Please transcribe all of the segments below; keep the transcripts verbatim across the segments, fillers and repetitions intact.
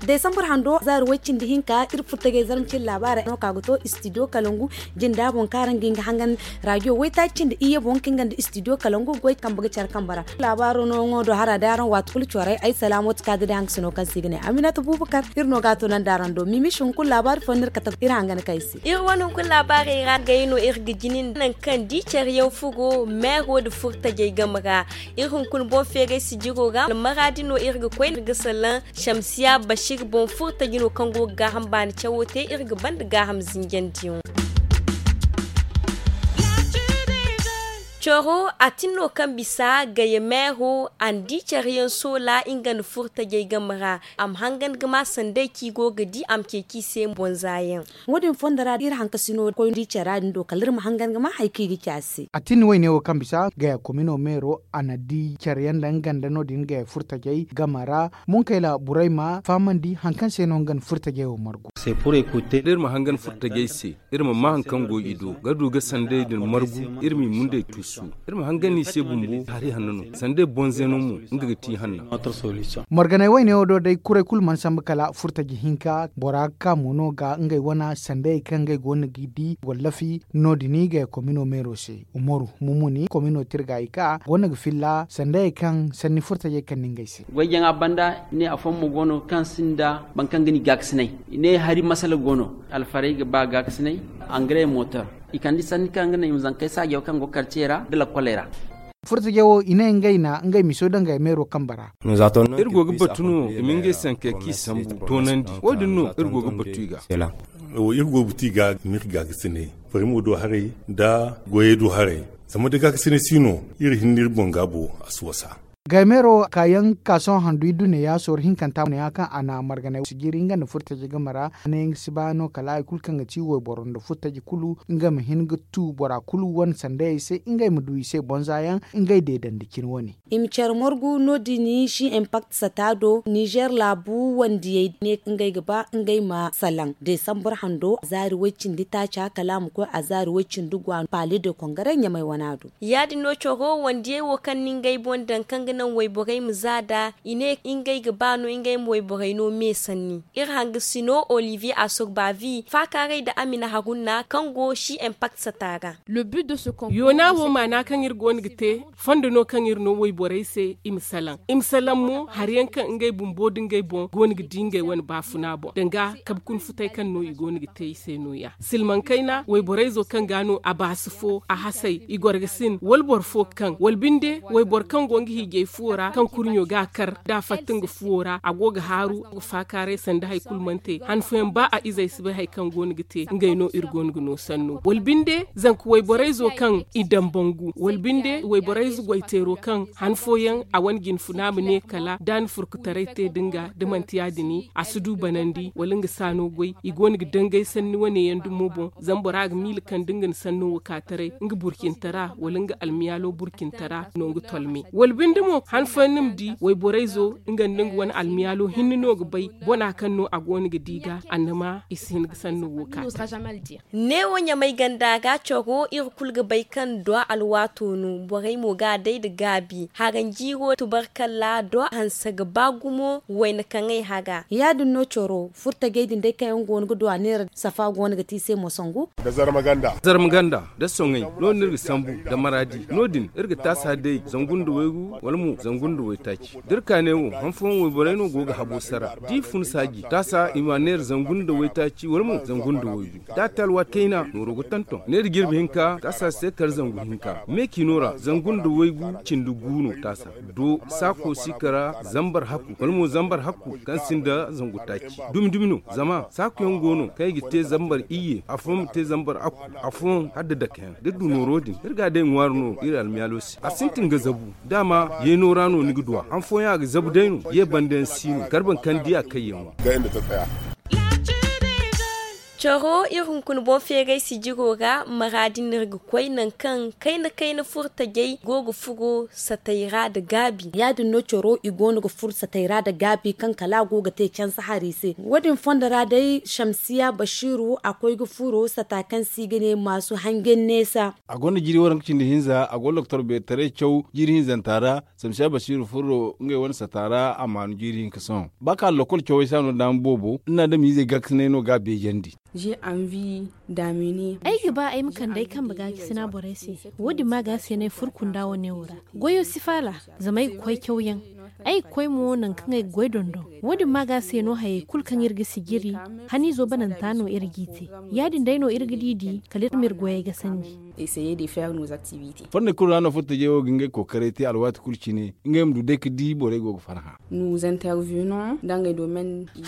Desambar hando zaari way cindi hinka iri furtajey zarma cindi laabaarey no ka ga to istidiyo kalangu jinda boŋ kaŋ araŋ ga hin ga hangan raadiyo waytaaci cindi iyye boŋ kaŋ nga nda istidiyo kalangu goy kambe ga care kambe ra. Laabaaro nooyaŋo do hara day araŋ waati kulu corey ay salaamooti kaadi day hangasino kaŋ se i ga ne aminata buubakar iri no ga a tunandi araŋ do mimishi hunkuna laabaari fooyaŋ no iri kate iri hangan kaŋ ay se. Iri wane hunkuna laabaarey ra gay no iri ga jini nangu kaŋ di care yaŋ furo meero nda furtajey game ra. Iri hunkuna boŋ feeray sijiro ra almaraadi no iri ga koy iri ga salaŋ shamsiya bashir boŋ furtaji no kaŋ go ga gaaham baani cawo te iri ga banda gaaham zinjandiyaŋo. Coro a tin no kaŋ bisa gaya meero a na di care yaŋ soola nga nda furtajey game ra a ma hangan ga ma sanday kaŋ i go ga di a ma ceeci i se bonza yaŋ. Wo- din fondo ra iri hankasino koy di care ra din do kala iri ma hangan ga ma hari kaŋ i ga ci a se. A tin wayne wo kaŋ bisa gaya komino meero a na di care yaŋ nda nga nda no- din gaya furtajey game ra. Munkayla burayma fahamandi hari kaŋ se no nga nda furtajey wo margu. Da iri ma hangan furtajey se iri ma maa hari kaŋ go i do ga du ga sanday din margu. Iri m'i mundey tuusu iri ma hangan i se bumbo hari hanno no sanday bonze no mo nga ga ti hanna. Marganay wayne wo do day kuray kulu mana sambu kala furtaji hinka bora ga ka mo no ga ngey wane sanday kaŋ ngey go no ga di wallafi no- din i ga komino meero se umaru mumuni komino tirga i ka go no ga filla sanday kaŋ sanni furtajey kaŋ ni ngey se. Goy jaŋa banda i ne afooyaŋ mo go no kaŋ sinda boro kaŋ ga ni gaakasinay i ne hari masala go no alfarey ga ba gaakasinay angare motor i kande sanni kaŋ ga naŋ i ma zankey saajo kaŋ go karce ra nda lakkoley ra. Furtajey wo i ne ngey na ngey miso daŋ gaya meero kambe ra. Iri go ga batu no i ma ngey sankey kaŋ i sambu toonandi wo- din no iri go ga batu i ga. Iri go ga batu i ga i ma iri gaakasinay farimo do haray nda goyey do haray. Zama da gaakasinay si no iri hinne iri boŋ gaabo a si wasa. Gaymeero kaayaŋ ka sohõ handu iddu neeya sorro hinkanta neeya kaŋ a na marganay sijiri nga nda furtaji game ra a ne nga si ba no kala hari kulu kaŋ ga ti wayboro nda furtaji kulu nga ma hin ga tu bora kulu wane sandayey se ngey ma du i se bonza yaŋ ngey deedandi cine wane. I ma care margu no- din si impact sata do nizer laabu wandiyey ne ngey ga ba ngey ma salaŋ desambur hando zaari way cindi taaca kala a ma koy a zaari way cindi gwa paali de kongaray ɲamay wana do. Ya- din no coro wandiyey wo kaŋ na ngey boŋ daŋ kaŋ ga naŋ wayborey ma za nd'a i ne ngey ga ba no ngey ma wayborey no me sanni. Iri hanga sino olivier asurbavi faakaaray nda amina harunna kaŋ go si impact sata ra. Yoona wo maana kaŋ iri go no ga te fondo no kaŋ iri no wayborey se i ma salaŋ i ma salaŋ mo hari yaŋ kaŋ ngey bumbo nda ngey boŋ go no ga di ngey wane baafuna boŋ danga kabe kuna futay kaŋ no i go no ga te i se no- ya silmaŋ kayna wayborayzo kaŋ ga no a baasi fo a hasay i goro ga sin wala boro fo kaŋ wala binde wayboro kaŋ go nga hiijay fuwo ra kaŋ kurɲo ga a kar da a fatta nga fuwo ra a go ga haaru a go ga faakaaray sanda hari kulu mana te han fooyaŋ ba a izey si bay hari kaŋ go no ga te ngey no iri go no ga no sanno wala binde zanka wayborayzo kaŋ i dambangu wala binde wayborayze goyteero kaŋ han fooyaŋ a wane jinfuna ma ne kala da a na furkutaray te nda nga da manti ya- din a si du banandi wala nga saano goy i go no ga dangay sanni wane yaŋ dumo boŋ zama bora ga miila kaŋ da nga na sanno wo ka taray nga burcintara wala nga almiyaalo burcintara no nga tolme wala binde mo han fooyaŋ ni ma di wayborayzo nga nda nga wane almiyaalo hinne no ga bay bona kaŋ no a go no ga di ga annama i si hin ga sanno wo ka taray. Neewo ɲamay ganda ga coro iri kulu ga bay kaŋ duwa alwaato no borey mo ga a day nda gaabi haranjiiro tubarkalla duwa hanse ga ba gumo wayna kaŋay haga. Ya- din no coro furtajey din day kaŋ yaŋ go no ga duwa neera safa go no ga te i se mo sangu. Zarma ganda nda soŋay no- din iri ga sambu nda maraadi no- din iri ga taasa day zangu nda waygu wala mo zangu nda waytaaci da iri ka neewo han fooyaŋ wayborey no go ga habo sara da i fun saaji taasa i ma neera zangu nda waytaaci wala mo zangu nda waygu da a te alwaati kayna nooro ga tonton neera jirbi hinka taasa si te kala zangu hinka meeciino ra zangu nda waygu cindi gu no taasa do saako si kara zambar hakku wala mo zambar hakku kaŋ sinda zangu taaci dumi dumi no zama saakuyaŋ go no kaŋ i ga te zambar iyye afooyaŋ ma te zambar hakku afooyaŋ hala da dake yaŋ da iri du nooro din iri ga a day ŋwaari no iri almiyaalo se a sintin ga zabu da a ma yeeno ra no ni ga du a han fooyaŋ a ga zabu day no ye banda yaŋ si no karban kaŋ di a kay yaŋo. Coro iri hunkuna boŋ feeray sijiro ra mara din no iri ga koy nangu kaŋ kayna kayna furo tajey go ga furo satey ra nda gaabi. Ya- din no coro i go no ga furo satey ra nda gaabi kaŋ kala a go ga te canse hari se. Wo- din fondo ra day shamsiya basiiru a koy ga furo sata kaŋ se i ga ne maasu hangen neesa. A gonda jiiri waranka cindi hinza a go doktor beetaray caw jiiri hinzanta ra. Samsiya basiiru furo ngey wane sata ra a maanu jiiri hinka sohõ ba ka lakkol cawey se a no daama boobo ni na adamiizey gaakasinay no ga a beejandi. Ay ga ba ay ma kande ay kambe gaakasina borey se. Wo- din ma ga a se no ay furo kunda wane wo ra. Goyo si faala zama ay ga koy cawyaŋ. Ay ga koy mo nangu kaŋ ay ga goy dondon. Wo- din ma ga a se no hayey kulu kaŋ iri ga sijiri haniizo bananta no iri g'i te. Ya- din day no iri ga di di kala iri ma iri goyey gasandi. Fonney kulu ra no furtajey wo ga ngey kookaray te alwaati kulu cine ngey ma du day ga di borey go ga farhã.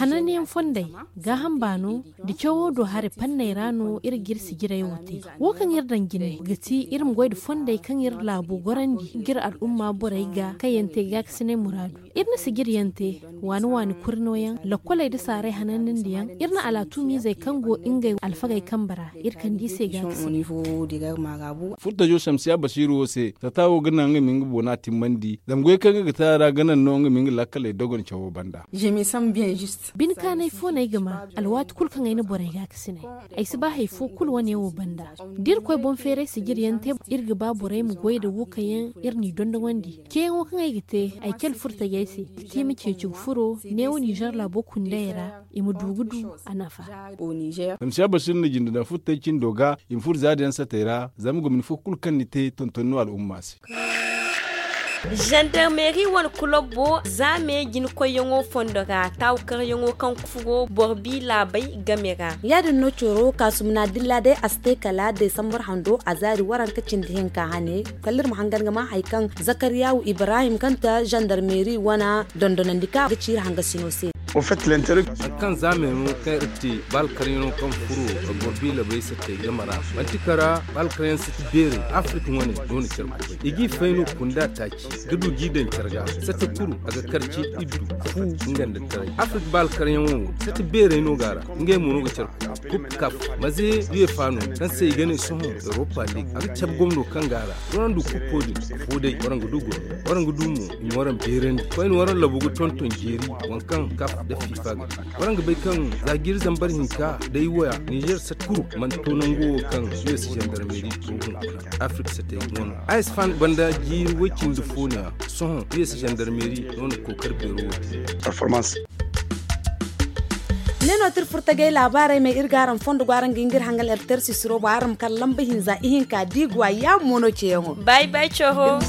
Hananyaŋ fondey gaaham baano nda cawo do haray fanney ra no iri ga iri sijirey wo te. Wo kaŋ iri daŋ jine ga ti iri ma goy nda fondey kaŋ iri laabo gorandi ga iri al'umma borey ga kaŋ yaŋ te gaakasinay muraadu. Iri na sijiri yaŋ te waani waani kuri nooyaŋ lakkoley nda saaray hananyandiyaŋ. Iri na alaatumiizey kaŋ go ngey alfagey kambe ra iri kande i se gaakasina. Furtajo samsiya basiiru wo se sata wo ga naŋ nga ma nga boona timmandi zama goy kaŋ nga ga te a ra ga naŋ no nga ma nga lakkaley dogon cawo banda. Bine kaanay fo no ay ga ma alwaati kulu kaŋ ay na borey gaakasinay. Ay si ba hari fo kulu wane wo banda da iri koy boŋ feeray sijiri yaŋ te. Iri ga ba borey ma goy nda wo kaŋ yaŋ iri n'i dondowandi ceeyaŋo kaŋ ay ga te ay cale furtajey se ga te i ma ceeci ga furo neewo ninzeer laabo kundayey ra i ma du ga du a nafa. Samsiya basiiru na jinde daŋ furtajey cindo ga i ma furo zaada yaŋ satey ra zama gomni fo kulu kaŋ ni te tonton no al'umma se. Zandarmeeri wane kulobbo za me jina koyyaŋo fondo ra taawakaryaŋo kaŋ ga furo boro bi laabey game ra. Ya- din no coro kaasumna dilla day a si te kala desambar hando a zaari waranka cindi hinka hane. Kala iri ma hangan ga ma hari kaŋ zakariyawu ibrahim kaŋ ta zandarmeeri wane dondonandi kaŋ ga ciiri hangasino se. Hari kaŋ za me no kaŋ iri te baalkaryaŋo kaŋ furo boro bi laabey sattey game ra manti kara baalkaryaŋ sati beerey afirika wane no na care kubay i g'i fay no kunda taaci ga du g'i daŋ care ga sata kuru a ga karci iddu fu nga nda taray afirka ba alkaryaŋo wo sata beerey no ga a ra. Ngey mo no ga care kuru kub kaf maze uefa no kaŋ se i ga ne sohõ europa league a ga cabe gomno kaŋ ga a ra. Waraŋ du kuppo din fo day waraŋ ga du gomno waraŋ ga du mo i ma waraŋ beerandi koyne waraŋ labu ga tonton jeeri waŋ kaŋ kaf nda fifa ga te. Waraŋ ga bay kaŋ za jiiri zambar hinka day waya nizer sata kuru mana to nango wo kaŋ usa zandarmeeri to hunkuna afirka satey ga wano a espan banda jiiri woy-cindi fo no-ya. Sohõ usa zandarmeeri no na kookari beero wo te. Ne no ti iri furtagay laabaarey me iri ga araŋ fondo go araŋ ga hin ga iri hangan iri tersi siro boŋ araŋ ma kala lamba hinza ihinka da i go a yaamo no ceeyaŋo. Bay bay coro.